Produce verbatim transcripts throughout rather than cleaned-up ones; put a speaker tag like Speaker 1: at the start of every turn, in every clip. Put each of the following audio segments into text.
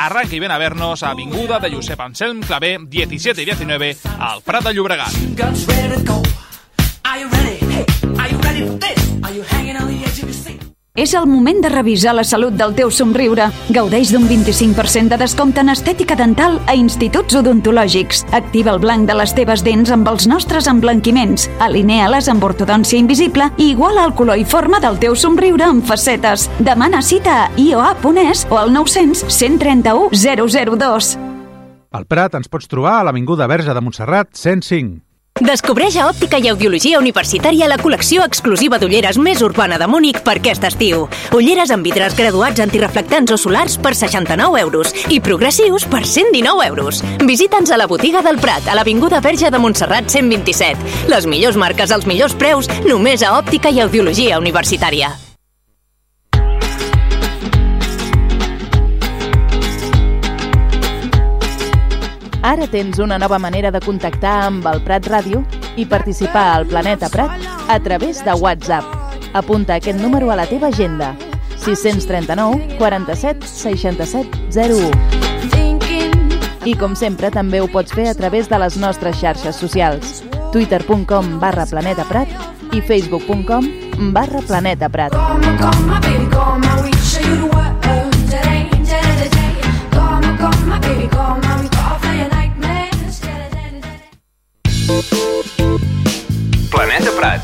Speaker 1: arranca y ven a vernos a Avinguda de Josep Anselm Clavé, diecisiete y diecinueve, al Prat de Llobregat.
Speaker 2: És el moment de revisar la salut del teu somriure. Gaudeix d'un vint-i-cinc per cent de descompte en estètica dental a instituts odontològics. Activa el blanc de les teves dents amb els nostres emblanquiments. Alinea-les amb ortodòncia invisible i iguala el color i forma del teu somriure amb facetes. Demana cita a i o a punt es o al nou cents, cent trenta-u, zero zero dos.
Speaker 3: Al Prat ens pots trobar a l'Avinguda Verge de Montserrat cent cinc.
Speaker 4: Descobreix a Òptica i Audiologia Universitària la col·lecció exclusiva d'ulleres més urbana de Múnich per aquest estiu. Ulleres amb vidres graduats antireflectants o solars per seixanta-nou euros i progressius per cent dinou euros. Visita'ns a la botiga del Prat, a l'Avinguda Verge de Montserrat cent vint-i-set. Les millors marques als millors preus, només a Òptica i Audiologia Universitària.
Speaker 5: Ara tens una nova manera de contactar amb el Prat Ràdio i participar al Planeta Prat a través de WhatsApp. Apunta aquest número a la teva agenda: sis trenta nou, quaranta-set, seixanta-set, zero u. I com sempre també ho pots fer a través de les nostres xarxes socials: twitter punt com barra Planeta Prat i facebook punt com barra Planeta Prat.
Speaker 6: Planeta Prat.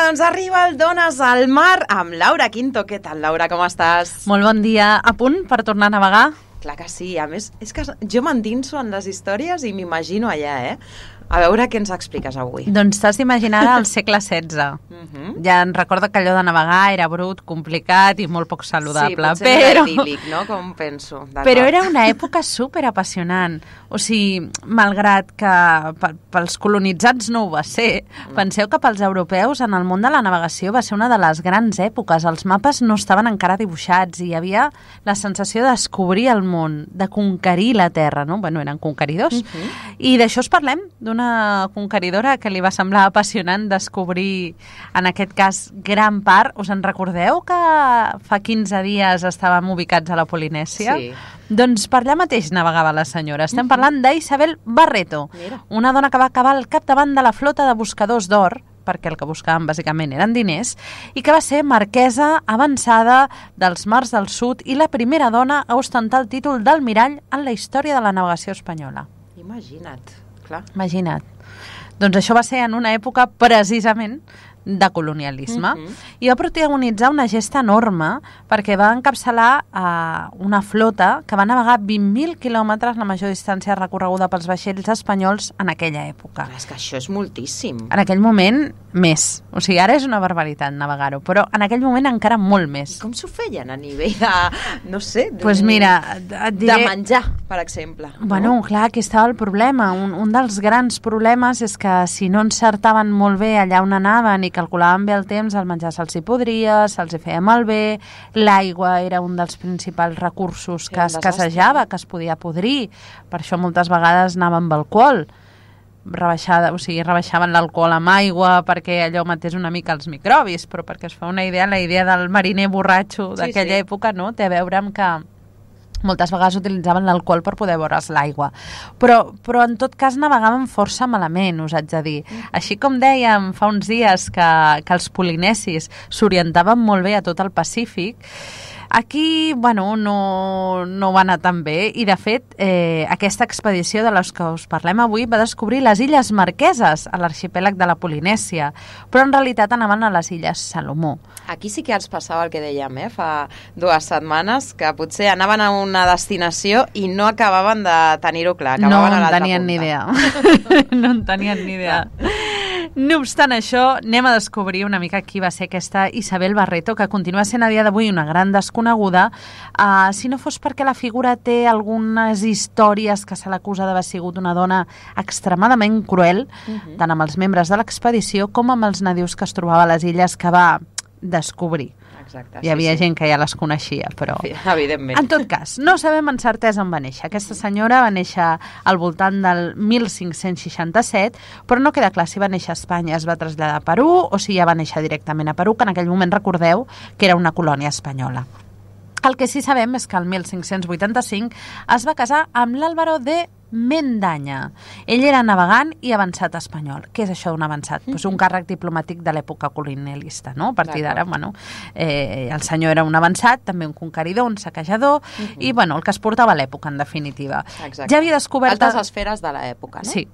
Speaker 7: Doncs arriba el Dones al Mar amb Laura Quinto. Què tal, Laura? Com estàs?
Speaker 8: Molt bon dia. A punt per tornar a navegar?
Speaker 7: Clar que sí. A més, és que jo m'endinso en les històries i m'imagino allà, eh? A veure què ens expliques avui.
Speaker 8: Doncs t'has d'imaginar al segle setze. Uh-huh. Ja en recordo que allò de navegar era brut, complicat i molt poc saludable.
Speaker 7: Sí, potser
Speaker 8: però...
Speaker 7: era idíl·lic, no? Com penso.
Speaker 8: Però era una època super apassionant. O sigui, malgrat que pels colonitzats no ho va ser, mm. penseu que pels europeus en el món de la navegació va ser una de les grans èpoques. Els mapes no estaven encara dibuixats i hi havia la sensació de descobrir el món, de conquerir la terra, no? Bueno, eren conqueridors. Uh-huh. I d'això es parlem, d'una conqueridora que li va semblar apassionant descobrir, en aquest cas, gran part. Us en recordeu que fa quinze dies estàvem ubicats a la Polinèsia?
Speaker 7: Sí.
Speaker 8: Doncs per allà mateix navegava la senyora. Estem parlant d'Isabel Barreto,
Speaker 7: Mira.
Speaker 8: Una dona que va acabar al capdavant de la flota de buscadors d'or, perquè el que buscaven bàsicament eren diners, i que va ser marquesa avançada dels mars del sud i la primera dona a ostentar el títol d'almirall en la història de la navegació espanyola.
Speaker 7: Imagina't, clar.
Speaker 8: Imagina't. Doncs això va ser en una època precisament de colonialisme, uh-huh. i va protagonitzar una gesta enorme perquè va encapçalar uh, una flota que va navegar vint mil quilòmetres, la major distància recorreguda pels vaixells espanyols en aquella època.
Speaker 7: Clar, és que això és moltíssim.
Speaker 8: En aquell moment, més. O sigui, ara és una barbaritat navegar-ho, però en aquell moment encara molt més.
Speaker 7: Com s'ho feien a nivell de, no sé, de,
Speaker 8: pues mira, et diré...
Speaker 7: de menjar, per exemple?
Speaker 8: Bueno,
Speaker 7: no?
Speaker 8: clar, aquí estava el problema. Un, un dels grans problemes és que si no encertaven molt bé allà on anaven i calculaven bé el temps, el menjar se'ls hi podria, se'ls hi feia malbé, l'aigua era un dels principals recursos que es casejava, que es podia podrir, per això moltes vegades anaven amb alcohol, rebaixada, o sigui, rebaixaven l'alcohol amb aigua perquè allò matés una mica els microbis, però perquè es fa una idea, la idea del mariner borratxo d'aquella sí, sí. època, no?, té a veure amb que moltes vegades utilitzaven l'alcohol per poder veure's l'aigua. Però, però en tot cas navegaven força malament, us haig de dir. Així com dèiem fa uns dies que, que els polinesis s'orientaven molt bé a tot el Pacífic, Aquí, bueno, no, no va anar tan bé i, de fet, eh, aquesta expedició de les que us parlem avui va descobrir les Illes Marqueses a l'arxipèlag de la Polinèsia, però en realitat anaven a les Illes Salomó.
Speaker 7: Aquí sí que els passava el que dèiem, eh? Fa dues setmanes, que potser anaven a una destinació i no acabaven de tenir-ho clar.
Speaker 8: No
Speaker 7: Acabaven
Speaker 8: en
Speaker 7: a l'altra
Speaker 8: tenien
Speaker 7: punta.
Speaker 8: ni idea. No en tenien ni idea. No obstant això, anem a descobrir una mica qui va ser aquesta Isabel Barreto, que continua sent a dia d'avui una gran desconeguda, uh, si no fos perquè la figura té algunes històries que se l'acusa d'haver sigut una dona extremadament cruel, uh-huh. tant amb els membres de l'expedició com amb els nadius que es trobava a les illes que va descobrir.
Speaker 7: Exacte,
Speaker 8: Hi havia
Speaker 7: sí, sí.
Speaker 8: gent que ja les coneixia, però...
Speaker 7: Evidentment.
Speaker 8: En tot cas, no sabem en certesa on va néixer. Aquesta senyora va néixer al voltant del mil cinc-cents seixanta-set, però no queda clar si va néixer a Espanya, es va traslladar a Perú, o si ja va néixer directament a Perú, que en aquell moment recordeu que era una colònia espanyola. El que sí sabem és que el mil cinc-cents vuitanta-cinc es va casar amb l'Álvaro de Mendaña. Ell era navegant i avançat espanyol. Què és això d'un avançat? Mm-hmm. Pues un càrrec diplomàtic de l'època colonialista, no? A partir d'ara, bueno, eh, el senyor era un avançat, també un conqueridor, un saquejador, mm-hmm. i, bueno, el que es portava a l'època, en definitiva.
Speaker 7: Exacte.
Speaker 8: Ja havia descobert...
Speaker 7: Altes esferes de l'època, no?
Speaker 8: Sí.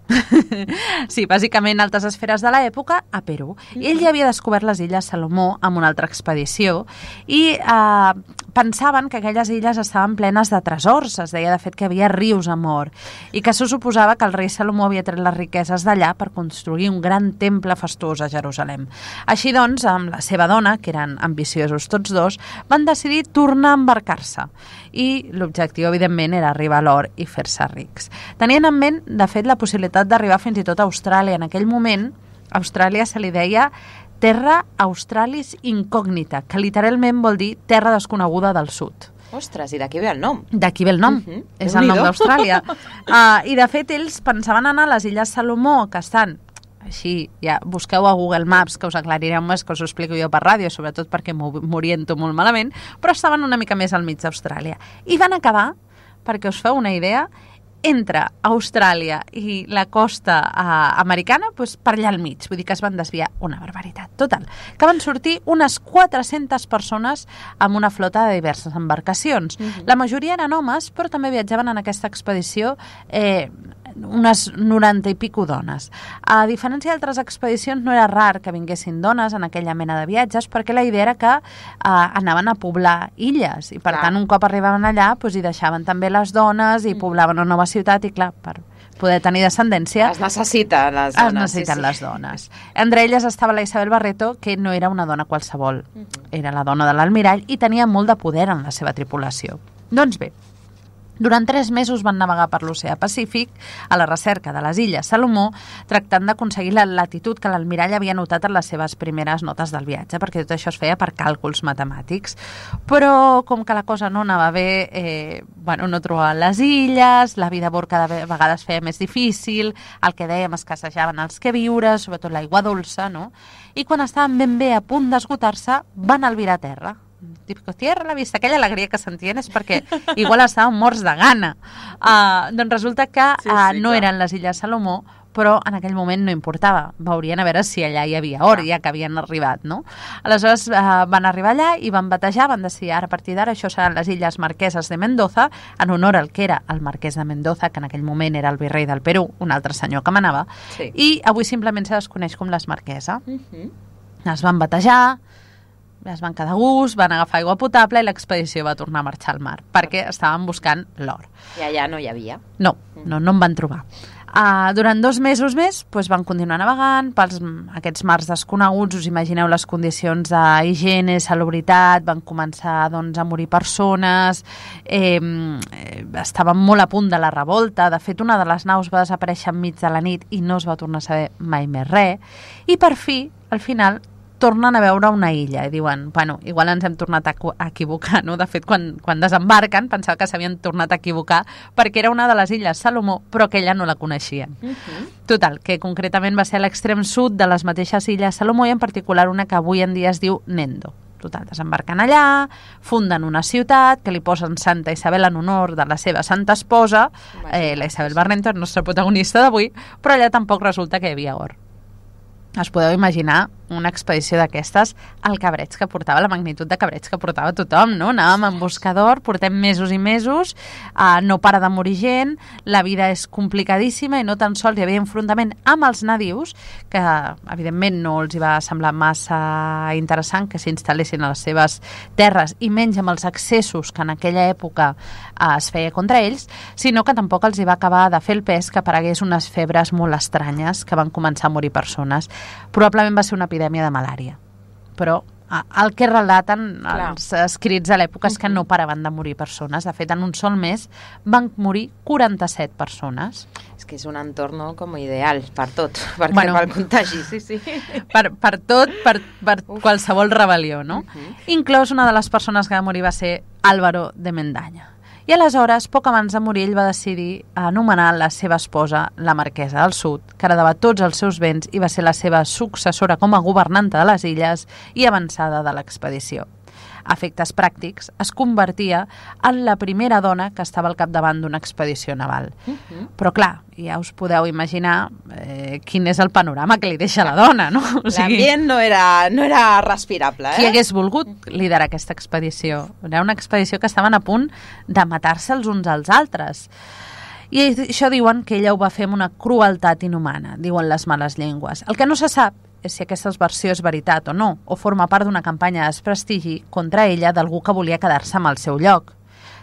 Speaker 8: Sí, bàsicament altes esferes de l'època a Perú. Mm-hmm. Ell ja havia descobert les Illes Salomó amb una altra expedició i eh, pensaven que aquelles illes estaven plenes de tresors. Es deia, de fet, que hi havia rius a mort i que se suposava que el rei Salomó havia tret les riqueses d'allà per construir un gran temple fastuós a Jerusalem. Així doncs, amb la seva dona, que eren ambiciosos tots dos, van decidir tornar a embarcar-se. I l'objectiu, evidentment, era arribar a l'or i fer-se rics. Tenien en ment, de fet, la possibilitat d'arribar fins i tot a Austràlia. En aquell moment, a Austràlia se li deia Terra Australis Incògnita, que literalment vol dir terra desconeguda del sud.
Speaker 7: Ostres, i d'aquí ve el nom.
Speaker 8: D'aquí ve el nom,
Speaker 7: Uh-huh.
Speaker 8: és el nom d'Austràlia. Uh, I de fet ells pensaven anar a les Illes Salomó, que estan així, ja busqueu a Google Maps, que us aclarireu més, que us ho explico jo per ràdio, sobretot perquè m'oriento molt malament, però estaven una mica més al mig d'Austràlia. I van acabar, perquè us feu una idea, entre Austràlia i la costa uh, americana, doncs per allà al mig. Vull dir que es van desviar una barbaritat. Total, que van sortir unes quatre-centes persones amb una flota de diverses embarcacions. Uh-huh. La majoria eren homes, però també viatjaven en aquesta expedició eh, unes noranta i pico dones. A diferència d'altres expedicions, no era rar que vinguessin dones en aquella mena de viatges, perquè la idea era que eh, anaven a poblar illes, i per clar. tant un cop arribaven allà doncs hi deixaven també les dones i poblaven una nova ciutat, i clar, per poder tenir descendència
Speaker 7: es necessiten les dones.
Speaker 8: Es necessiten sí, sí. les dones. Entre elles estava la Isabel Barreto, que no era una dona qualsevol, uh-huh. era la dona de l'almirall i tenia molt de poder en la seva tripulació. Doncs bé, durant tres mesos van navegar per l'oceà Pacífic a la recerca de les Illes Salomó, tractant d'aconseguir la latitud que l'almirall havia notat en les seves primeres notes del viatge, perquè tot això es feia per càlculs matemàtics. Però com que la cosa no anava bé, eh, bueno, no trobaven les illes, la vida a bord cada vegada es feia més difícil, el que dèiem, escassejaven els queviures, sobretot l'aigua dolça, no? I quan estaven ben bé a punt d'esgotar-se, van albirar a terra. Típico tierra a la vista, aquella alegria que sentien és perquè igual estaven morts de gana. Uh, doncs resulta que uh, sí, sí, no clar. eren les Illes Salomó, però en aquell moment no importava. Veurien a veure si allà hi havia or, ja que havien arribat, no? Aleshores uh, van arribar allà i van batejar, van decidir ara, a partir d'ara, això seran les Illes Marqueses de Mendoza, en honor al que era el marquès de Mendoza, que en aquell moment era el virrei del Perú, un altre senyor que manava, sí. i avui simplement se desconeix com les Marquesa. Uh-huh. Es van batejar, es van quedar a gust, van agafar aigua potable i l'expedició va tornar a marxar al mar, perquè estaven buscant l'or.
Speaker 7: I allà no hi havia?
Speaker 8: No, no, no en van trobar. Uh, durant dos mesos més doncs, van continuar navegant pels aquests mars desconeguts. Us imagineu les condicions d'higiene, salubritat, van començar doncs, a morir persones, eh, estaven molt a punt de la revolta. De fet, una de les naus va desaparèixer enmig de la nit i no es va tornar a saber mai més res. I per fi, al final, tornen a veure una illa i diuen, bueno, igual ens hem tornat a equivocar, no? De fet, quan, quan desembarquen pensava que s'havien tornat a equivocar perquè era una de les Illes Salomó, però que ella no la coneixien. Uh-huh. Total, que concretament va ser a l'extrem sud de les mateixes Illes Salomó i en particular una que avui en dia es diu Nendo. Total, desembarquen allà, funden una ciutat que li posen Santa Isabel en honor de la seva santa esposa, eh, la Isabel Barreto, el nostre protagonista d'avui, però allà tampoc resulta que hi havia or. Es podeu imaginar una expedició d'aquestes, el cabreig que portava, la magnitud de cabreig que portava tothom, no? Anàvem en busca d'or, portem mesos i mesos, uh, no para de morir gent, la vida és complicadíssima i no tan sols hi havia enfrontament amb els nadius, que evidentment no els hi va semblar massa interessant que s'instal·lessin a les seves terres i menys amb els accessos que en aquella època uh, es feia contra ells, sinó que tampoc els hi va acabar de fer el pes que aparegués unes febres molt estranyes que van començar a morir persones. Probablement va ser una epidèmia de malària, però el que relaten Clar. els escrits a l'època és que no paraven de morir persones. De fet, en un sol mes van morir quaranta-set persones.
Speaker 7: És que és un entorn no, com ideal per tot, perquè
Speaker 8: bueno,
Speaker 7: pel contagi, sí, sí.
Speaker 8: Per, per tot, per, per qualsevol rebel·lió, no? Uh-huh. Inclòs una de les persones que va morir va ser Álvaro de Mendaña. I aleshores, poc abans de morir, ell va decidir anomenar la seva esposa la Marquesa del Sud, que heredava tots els seus béns i va ser la seva successora com a governanta de les illes i avançada de l'expedició. A efectes pràctics, es convertia en la primera dona que estava al capdavant d'una expedició naval. Uh-huh. Però clar, ja us podeu imaginar eh, quin és el panorama que li deixa la dona, no? O sigui,
Speaker 7: l'ambient no era, no era respirable, eh?
Speaker 8: Qui hagués volgut liderar aquesta expedició? Era una expedició que estaven a punt de matar-se els uns als altres. I això diuen que ella ho va fer amb una crueltat inhumana, diuen les males llengües. El que no se sap és si aquesta versió és veritat o no, o forma part d'una campanya de desprestigi contra ella d'algú que volia quedar-se amb el seu lloc.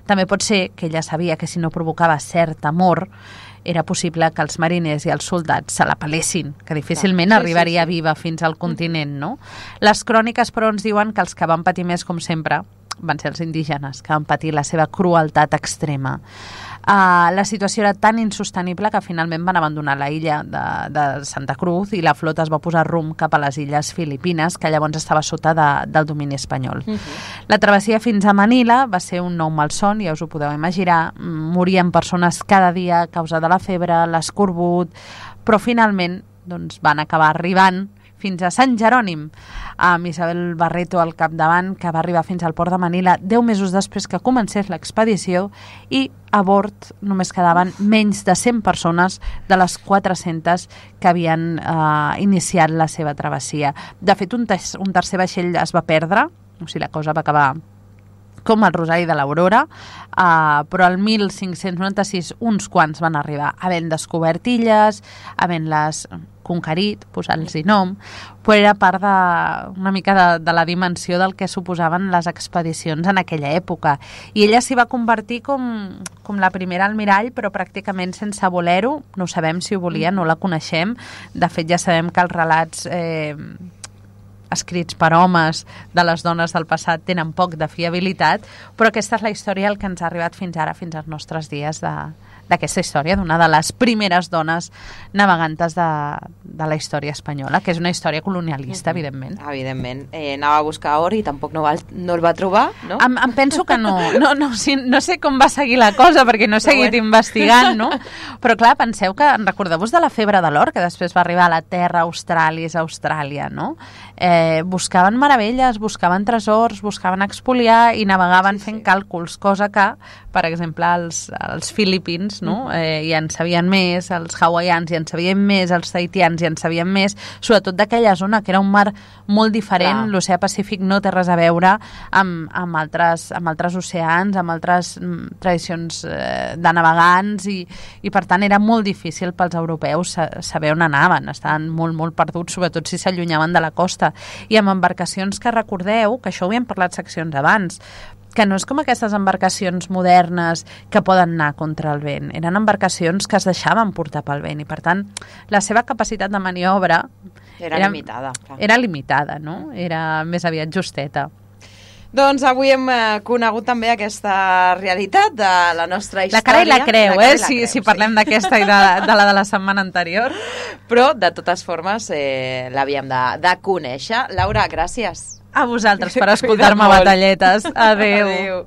Speaker 8: També pot ser que ella sabia que si no provocava cert amor, era possible que els mariners i els soldats se la pelessin, que difícilment sí, arribaria sí, sí. viva fins al continent, no? Les cròniques, però, ens diuen que els que van patir més, com sempre, van ser els indígenes, que van patir la seva crueltat extrema. Uh, la situació era tan insostenible que finalment van abandonar la illa de, de Santa Cruz i la flota es va posar rumb cap a les illes Filipines, que llavors estava sota de, del domini espanyol. Uh-huh. La travessia fins a Manila va ser un nou malson, ja us ho podeu imaginar. Morien persones cada dia a causa de la febre, l'escorbut, però finalment doncs, van acabar arribant fins a Sant Jerònim, amb Isabel Barreto al capdavant, que va arribar fins al port de Manila deu mesos després que comencés l'expedició, i a bord només quedaven menys de cent persones de les quatre-centes que havien eh, iniciat la seva travessia. De fet, un, ter un tercer vaixell es va perdre, o sigui, la cosa va acabar com el Rosari de l'Aurora, uh, però el mil cinc-cents noranta-sis uns quants van arribar, havent descobert illes, havent-les conquerit, posant-los nom, però era part de, una mica de, de la dimensió del que suposaven les expedicions en aquella època. I ella s'hi va convertir com, com la primera almirall, però pràcticament sense voler-ho. No sabem si ho volia, no la coneixem. De fet, ja sabem que els relats Eh, escrits per homes de les dones del passat tenen poc de fiabilitat, però aquesta és la història el que ens ha arribat fins ara, fins als nostres dies, de d'aquesta història, d'una de les primeres dones navegantes de, de la història espanyola, que és una història colonialista, evidentment.
Speaker 7: Evidentment. Eh, anava a buscar or i tampoc no, va, no el va trobar, no?
Speaker 8: Em, em penso que no. No, no, sí, no sé com va seguir la cosa, perquè no he seguit bueno. investigant, no? Però clar, penseu que, recordeu-vos de la febre de l'or, que després va arribar a la terra Australis, Austràlia, no? Eh, buscaven meravelles, buscaven tresors, buscaven expoliar i navegaven sí, fent sí. càlculs, cosa que, per exemple, els, els filipins no? eh, ja en sabien més, els hawaians ja en sabien més, els tahitians ja en sabien més, sobretot d'aquella zona, que era un mar molt diferent. L'oceà Pacífic no té res a veure amb, amb, altres, amb altres oceans, amb altres mm, tradicions eh, de navegants, i, i per tant era molt difícil pels europeus saber on anaven, estaven molt, molt perduts, sobretot si s'allunyaven de la costa, i amb embarcacions que recordeu, que això ho havíem parlat seccions abans, que no és com aquestes embarcacions modernes que poden anar contra el vent. Eren embarcacions que es deixaven portar pel vent i, per tant, la seva capacitat de maniobra
Speaker 7: era, era limitada. Clar.
Speaker 8: Era limitada, no? Era més aviat justeta.
Speaker 7: Doncs avui hem eh, conegut també aquesta realitat de la nostra història.
Speaker 8: La cara i la creu,
Speaker 7: la
Speaker 8: eh? Si, creu, si parlem sí. d'aquesta i de, de la de la setmana anterior.
Speaker 7: Però, de totes formes, eh, l'havíem de, de conèixer. Laura, gràcies.
Speaker 8: A vosaltres per escoltar-me batalletes. Adéu.
Speaker 7: Adéu.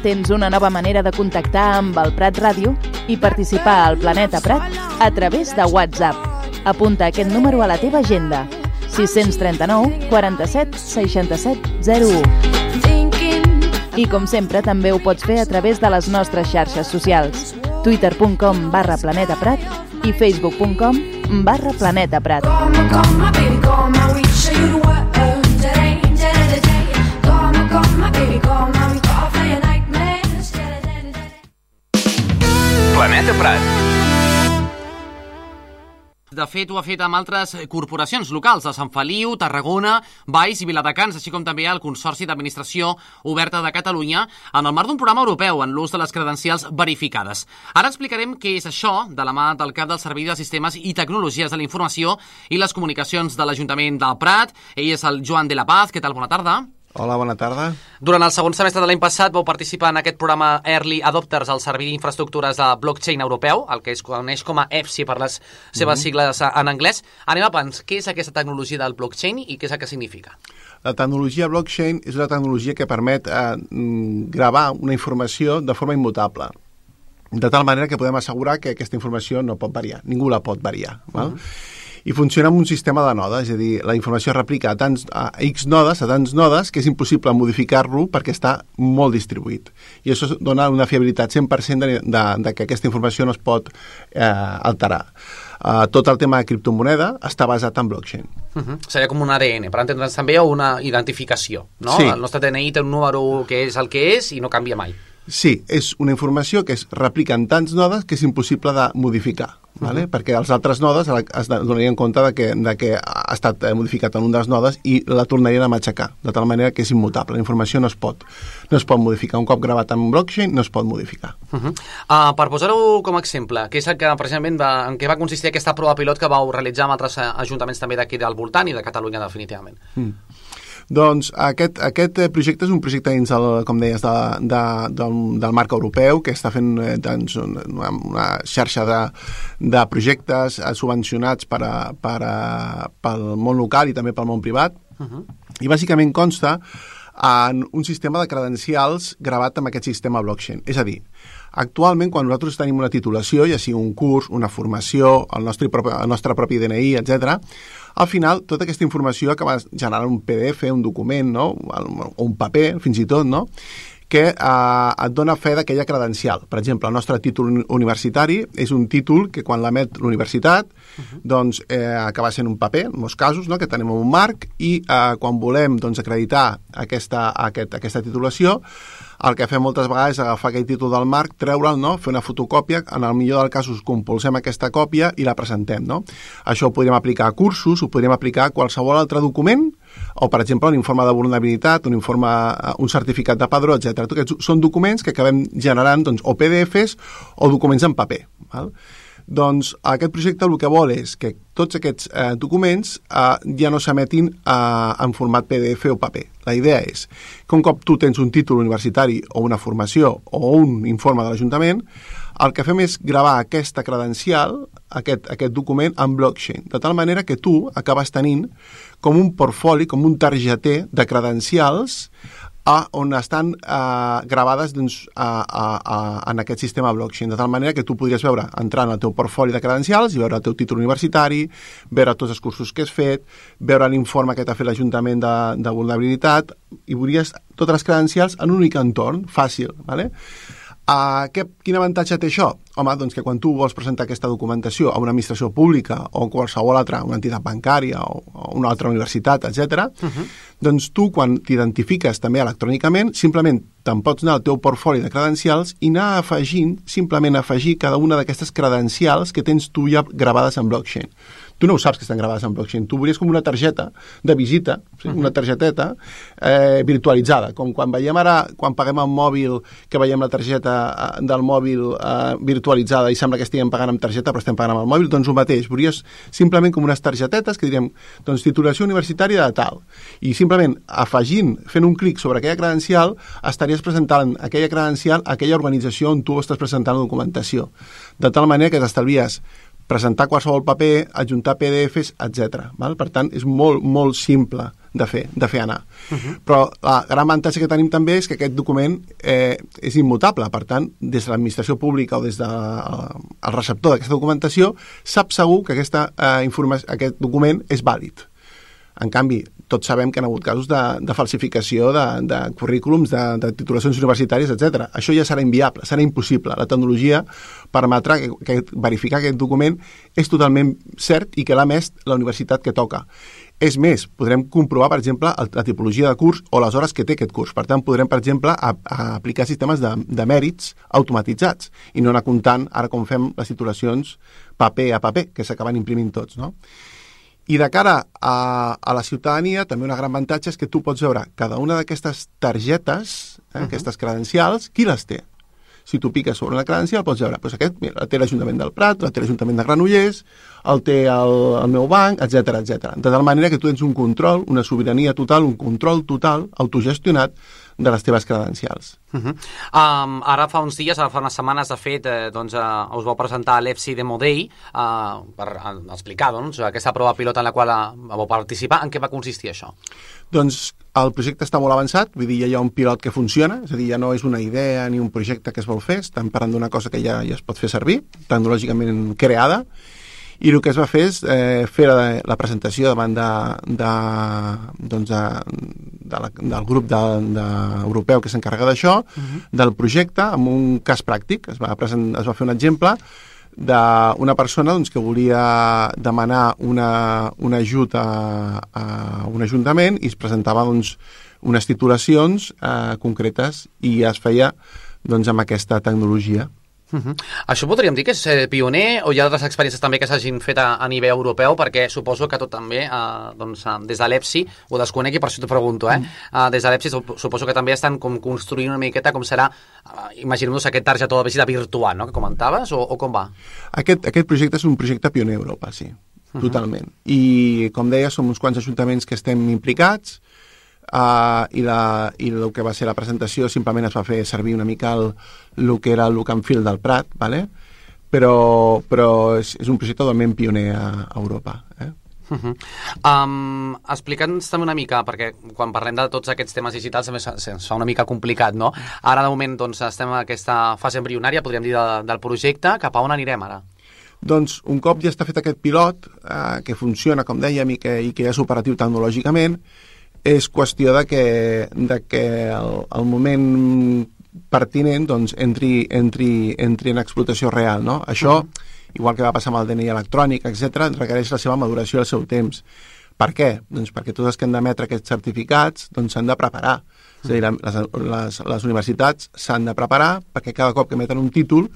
Speaker 5: tens una nova manera de contactar amb el Prat Ràdio i participar al Planeta Prat a través de WhatsApp. Apunta aquest número a la teva agenda: sis cents trenta-nou quaranta-set seixanta-set zero u. I com sempre també ho pots fer a través de les nostres xarxes socials: twitter punt com barra Planeta Prat i facebook punt com barra Planeta Prat.
Speaker 6: Planeta Prat.
Speaker 9: De fet, ho ha fet amb altres corporacions locals de Sant Feliu, Tarragona, Valls i Viladecans, així com també el Consorci d'Administració Oberta de Catalunya, en el marc d'un programa europeu en l'ús de les credencials verificades. Ara explicarem què és això, de la mà del cap del Servei de Sistemes i Tecnologies de la Informació i les Comunicacions de l'Ajuntament del Prat. Ell és el Joan de la Paz. Què tal? Bona tarda.
Speaker 10: Hola, bona tarda.
Speaker 9: Durant el segon semestre de l'any passat vau participar en aquest programa Early Adopters al Servei d'Infraestructures de Blockchain Europeu, el que es coneix com a E F S I per les seves mm-hmm. sigles en anglès. Anem a pens, què és aquesta tecnologia del blockchain i què és el que significa?
Speaker 10: La tecnologia blockchain és una tecnologia que permet eh, gravar una informació de forma immutable, de tal manera que podem assegurar que aquesta informació no pot variar, ningú la pot variar. Val? Mm-hmm. I funciona amb un sistema de nodes, és a dir, la informació es replica a, tants, a X nodes, a tants nodes, que és impossible modificar-lo perquè està molt distribuït. I això dona una fiabilitat cent per cent de, de, de que aquesta informació no es pot eh, alterar. Uh, tot el tema de criptomoneda està basat en blockchain.
Speaker 9: Uh-huh. Seria com un A D N, per entendre'ns també, o una identificació, no?
Speaker 10: Sí.
Speaker 9: El nostre D N I té un número que és el que és i no canvia mai.
Speaker 10: Sí, és una informació que es replica en tants nodes que és impossible de modificar. Vale? Uh-huh. Perquè els altres nodes es donarien compte de que, de que ha estat modificat en un dels nodes i la tornarien a matxacar, de tal manera que és immutable. La informació no es pot, no es pot modificar. Un cop gravat en blockchain no es pot modificar.
Speaker 9: Uh-huh. uh, per posar-ho com a exemple, què és el que precisament va, en què va consistir aquesta prova pilot que vau realitzar amb altres ajuntaments també d'aquí del voltant i de Catalunya definitivament?
Speaker 10: Mm. Doncs aquest, aquest projecte és un projecte dins el, com deies, de, de, del, del marc europeu, que està fent doncs, una, una xarxa de, de projectes subvencionats per a, per a, pel món local i també pel món privat. Uh-huh. I bàsicament consta en un sistema de credencials gravat amb aquest sistema blockchain. És a dir, actualment, quan nosaltres tenim una titulació, ja sigui un curs, una formació, el nostre propi, el nostre propi D N I, etcètera, al final, tota aquesta informació acaba generant un P D F, un document, no? O un paper, fins i tot, no? que eh, et dona fe d'aquella credencial. Per exemple, el nostre títol universitari és un títol que quan l'emet l'universitat uh-huh. doncs eh, acaba sent un paper, en molts casos, no? que tenim un marc, i eh, quan volem doncs, acreditar aquesta, aquest, aquesta titulació, el que fem moltes vegades és agafar aquell títol del marc, treure'l, no? fer una fotocòpia, en el millor dels casos compulsem aquesta còpia i la presentem. No? Això ho podríem aplicar a cursos, ho podríem aplicar a qualsevol altre document, o, per exemple, un informe de vulnerabilitat, un informe, un certificat de padró, etcètera. Aquests són documents que acabem generant doncs, o P D Fs o documents en paper. Val? Doncs aquest projecte el que vol és que tots aquests eh, documents eh, ja no s'emetin eh, en format P D F o paper. La idea és que un cop tu tens un títol universitari o una formació o un informe de l'Ajuntament, el que fem és gravar aquesta credencial, aquest, aquest document, en blockchain, de tal manera que tu acabes tenint com un portfoli, com un targeter de credencials a on estan eh, gravades doncs, a, a, a, en aquest sistema blockchain, de tal manera que tu podries veure, entrar en el teu portfoli de credencials i veure el teu títol universitari, veure tots els cursos que has fet, veure l'informe que t'ha fet l'Ajuntament de, de vulnerabilitat, i veuries totes les credencials en un únic entorn, fàcil, ¿vale? Uh, què, quin avantatge té això? Home, doncs que quan tu vols presentar aquesta documentació a una administració pública o qualsevol altra, una entitat bancària o, o una altra universitat, etcètera, uh-huh. doncs tu, quan t'identifiques també electrònicament, simplement te'n pots anar al teu portfoli de credencials i anar afegint, simplement afegir cada una d'aquestes credencials que tens tu ja gravades en blockchain. Tu no ho saps que estan gravades en blockchain. Tu veuries com una targeta de visita, sí? uh-huh. una targeteta eh, virtualitzada, com quan veiem ara, quan paguem el mòbil, que veiem la targeta del mòbil eh, virtualitzada i sembla que estiguem pagant amb targeta però estem pagant amb el mòbil, doncs el mateix. Veuries simplement com unes targetetes que diríem, doncs titulació universitària de tal. I simplement afegint, fent un clic sobre aquella credencial, estaries presentant aquella credencial a aquella organització on tu estàs presentant la documentació. De tal manera que t'estalvies presentar qualsevol paper, adjuntar P D Fs, etcètera. Per tant, és molt, molt simple de fer, de fer anar. Uh-huh. Però la gran avantatge que tenim també és que aquest document eh, és immutable, per tant, des de l'administració pública o des del de, el receptor d'aquesta documentació sap segur que aquesta, eh, informació, aquest document és vàlid. En canvi, tots sabem que hi ha hagut casos de, de falsificació de, de currículums, de, de titulacions universitàries, etcètera. Això ja serà inviable, serà impossible. La tecnologia permetrà que, que verificar que aquest document és totalment cert i que l'ha emès la universitat que toca. És més, podrem comprovar, per exemple, la tipologia de curs o les hores que té aquest curs. Per tant, podrem, per exemple, a, a aplicar sistemes de, de mèrits automatitzats i no anar comptant, ara com fem les titulacions paper a paper, que s'acaben imprimint tots, no? I de cara a, a la ciutadania, també una gran avantatge és que tu pots veure cada una d'aquestes targetes, eh, uh-huh. aquestes credencials, qui les té. Si tu piques sobre una credencial, pots veure, doncs aquest, mira, la té l'Ajuntament del Prat, la té l'Ajuntament de Granollers, el té el, el meu banc, etcètera, etcètera. De tal manera que tu tens un control, una sobirania total, un control total, autogestionat, de les teves credencials.
Speaker 9: Uh-huh. um, ara fa uns dies, ara fa unes setmanes, de fet, eh, doncs, eh, us vau presentar l'E F S I Demo Day eh, per eh, explicar doncs, aquesta prova pilot en la qual eh, vau participar. En què va consistir això?
Speaker 10: Doncs el projecte està molt avançat, vull dir, ja hi ha un pilot que funciona, és a dir, ja no és una idea ni un projecte que es vol fer, estem parlant d'una cosa que ja, ja es pot fer servir, tecnològicament creada, i el que es va fer és eh, fer la, la presentació davant de, de, doncs de, de la, del grup de, de, europeu que s'encarrega d'això, uh-huh. del projecte, amb un cas pràctic. Es va, present, es va fer un exemple d'una persona doncs, que volia demanar una, un ajut a, a un ajuntament i es presentava doncs, unes titulacions eh, concretes i es feia doncs, amb aquesta tecnologia.
Speaker 9: Uh-huh. Això podríem dir que és eh, pioner o hi ha altres experiències també que s'hagin fet a, a nivell europeu, perquè suposo que tot també eh, doncs, des de l'E F S I ho desconec i per això t'ho pregunto, eh? Uh, des de l'E F S I suposo que també estan com construint una miqueta com serà, uh, imaginem-nos aquest targetó de visita virtual, no?, que comentaves, o, o com va?
Speaker 10: Aquest, aquest projecte és un projecte pioner a Europa, sí, uh-huh. totalment. I com deia, som uns quants ajuntaments que estem implicats. Uh, i, la, i el que va ser la presentació simplement es va fer servir una mica el, el que era el look and feel del Prat, ¿vale? però, però és, és un projecte totalment pioner a, a Europa. Eh?
Speaker 9: Uh-huh. um, Explica'ns també una mica, perquè quan parlem de tots aquests temes digitals també se'ns fa una mica complicat, no? Ara de moment doncs, estem en aquesta fase embrionària, podríem dir, de, del projecte. Cap a on anirem ara?
Speaker 10: Doncs un cop ja està fet aquest pilot, eh, que funciona, com dèiem, i que, i que és operatiu tecnològicament, és qüestió de que, de que el, el moment pertinent doncs, entri, entri, entri en explotació real. No? Això, uh-huh. igual que va passar amb el D N I electrònic, etcètera, requereix la seva maduració i el seu temps. Per què? Doncs perquè tots els que han d'emetre aquests certificats doncs, s'han de preparar. Uh-huh. És a dir, les, les, les universitats s'han de preparar perquè cada cop que emeten un títol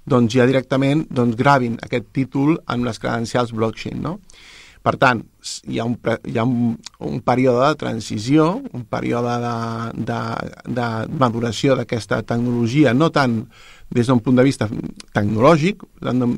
Speaker 10: doncs, ja directament doncs, gravin aquest títol amb les credencials blockchain. No? Per tant, hi ha un, hi ha un, un període de transició, un període de, de, de maduració d'aquesta tecnologia, no tant des d'un punt de vista tecnològic,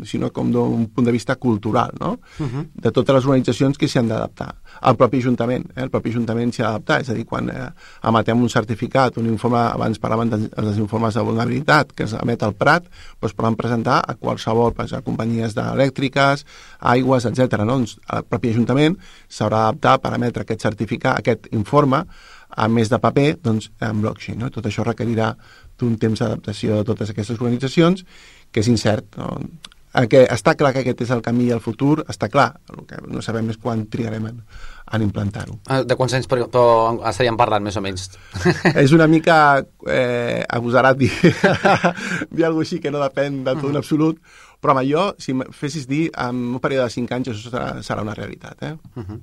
Speaker 10: sinó com d'un punt de vista cultural, no? Uh-huh. De totes les organitzacions que s'hi han d'adaptar. El propi Ajuntament, eh? el propi Ajuntament s'hi ha d'adaptar, és a dir, quan eh, emetem un certificat, un informe, abans parlàvem dels informes de vulnerabilitat que emet el Prat, doncs poden presentar a qualsevol, pues, a companyies elèctriques, aigües, etcètera. No? Doncs el propi Ajuntament s'haurà d'adaptar per emetre aquest certificat, aquest informe, a més de paper, doncs, en blockchain. No? Tot això requerirà d'un temps d'adaptació de totes aquestes organitzacions, que és incert. No? Que està clar que aquest és el camí al futur, està clar. El que no sabem és quan trigarem en, en implantar-ho.
Speaker 9: De quants anys però, estaríem parlant, més o menys?
Speaker 10: És una mica eh, agosarat dir, dir alguna cosa així que no depèn de tot en absolut, però home, jo, si em fessis dir, en un període de cinc anys això serà, serà una realitat. Eh?
Speaker 9: Uh-huh.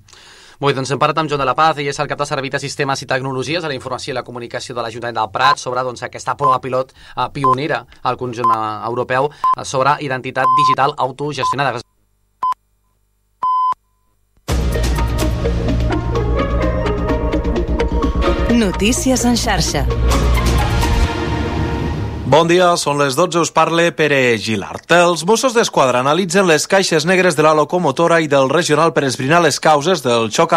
Speaker 9: Molt bé, doncs hem parlat amb Joan de la Paz, ell és el cap de Servei de Sistemes i Tecnologies de la Informació i la Comunicació de l'Ajuntament del Prat sobre doncs, aquesta prova pilot eh, pionera al conjunt eh, europeu eh, sobre identitat digital autogestionada.
Speaker 11: Notícies en xarxa.
Speaker 12: Bon dia, són les dotze, us parla Pere Gilart. Els Mossos d'Esquadra analitzen les caixes negres de la locomotora i del regional per esbrinar les causes del xoc